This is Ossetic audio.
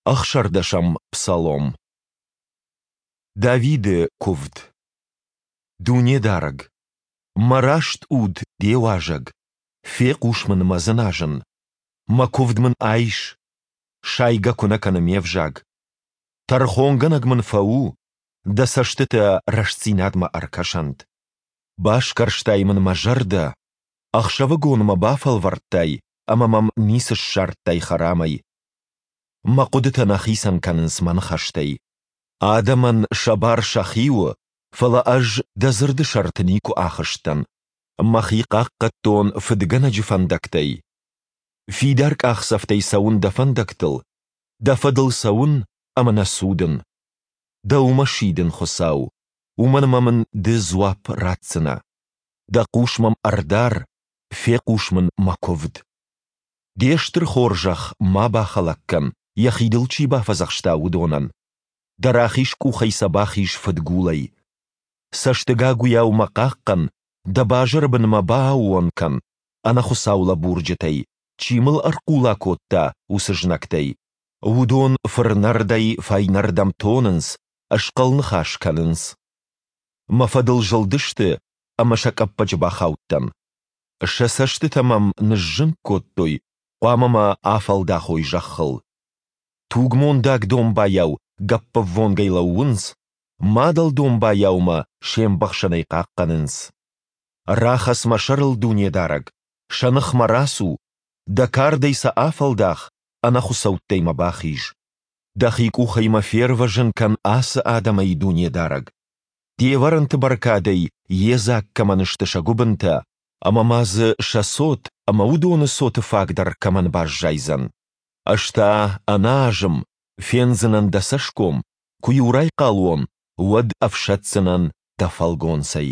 Ӕхсӕрдӕсӕм псалом. Давиды куывд. Дунедарӕг, мӕ раст уд Де уазӕг, фехъус мын мӕ дзыназын, мӕ куывд мын айс, сайгӕ куы нӕ кӕны ме взаг. Тӕрхонгӕнӕг мын фӕу, Дӕ цӕстытӕ рӕстдзинадмӕ ӕркӕсӕнт. Басгӕрстай мын мӕ зӕрдӕ, ӕхсӕвыгон мӕ бафӕлвӕрдтай ӕмӕ мӕм ницы ссардтай хӕрамӕй. Мӕ хъуыдытӕ нӕ хицӕн кӕнынц мӕ ныхӕстӕй. Адӕмӕн сӕ бар сӕхи у, фӕлӕ ӕз дӕ дзырды сӕрты никуы ахызтӕн. Мӕхи хъахъхъӕдтон фыдгӕнӕджы фӕндӕгтӕй. Фидар къахдзӕфтӕй цӕуын дӕ фӕндӕгтыл, дӕ фӕдыл цӕуын ӕмӕ нӕ цудын. Дӕумӕ сидын, Хуыцау, уымӕн ӕмӕ мын Ды дзуапп ратдзынӕ. Дӕ хъус мӕм ӕрдар, фехъус мын мӕ куывд. Де стыр хорзӕх ма бахӕлӕг кӕн, йӕхи дыл чи бафӕдзӕхста, уыдонӕн. Дӕ рахиз къухӕй сӕ бахиз фыдгулӕй. Цӕстыгагуыйау мӕ хъахъхъӕн, дӕ базыры бын мӕ бааууон кӕн, ӕнӕхуыцау лӕбурджытӕй, чи мыл ӕрхъула кодта, уыцы знӕгтӕй. Уыдон фырнӕрдӕй фӕйнӕрдӕм тонынц, схъӕл ныхас кӕнынц. Мӕ фӕдыл зылдысты ӕмӕ сӕ къӕппӕджы бахаудтӕн. Сӕ цӕстытӕ мӕм ныззынг кодтой, хъуамӕ мӕ афӕлдахой зӕххыл. Тугмондаг домбайау гӕппӕввонгӕй лӕууынц, мадӕл домбайау мӕ се мбӕхсӕнӕй хъахъхъӕнынц. Рахӕц мӕ сӕрыл, Дунедарӕг, сӕ ныхмӕ рацу, дӕ кардӕй сӕ афӕлдах, ӕнӕхуыцӕуттӕй мӕ бахиз. Дӕхи къухӕй мӕ фервӕзын кӕн ацы адӕмӕй, Дунедарӕг. Де вӕрӕнты бӕркадӕй йедзаг кӕмӕн сты сӕ гуыбынтӕ, ӕмӕ ма дзы сӕ цот ӕмӕ уыдоны цоты фаг дӕр кӕмӕн баззайдзӕн. Ӕз та, ӕнӕазым, фендзынӕн дӕ цӕсгом, куы-иу райхъал уон, уӕд ӕфсӕддзынӕн дӕ фӕлгонцӕй.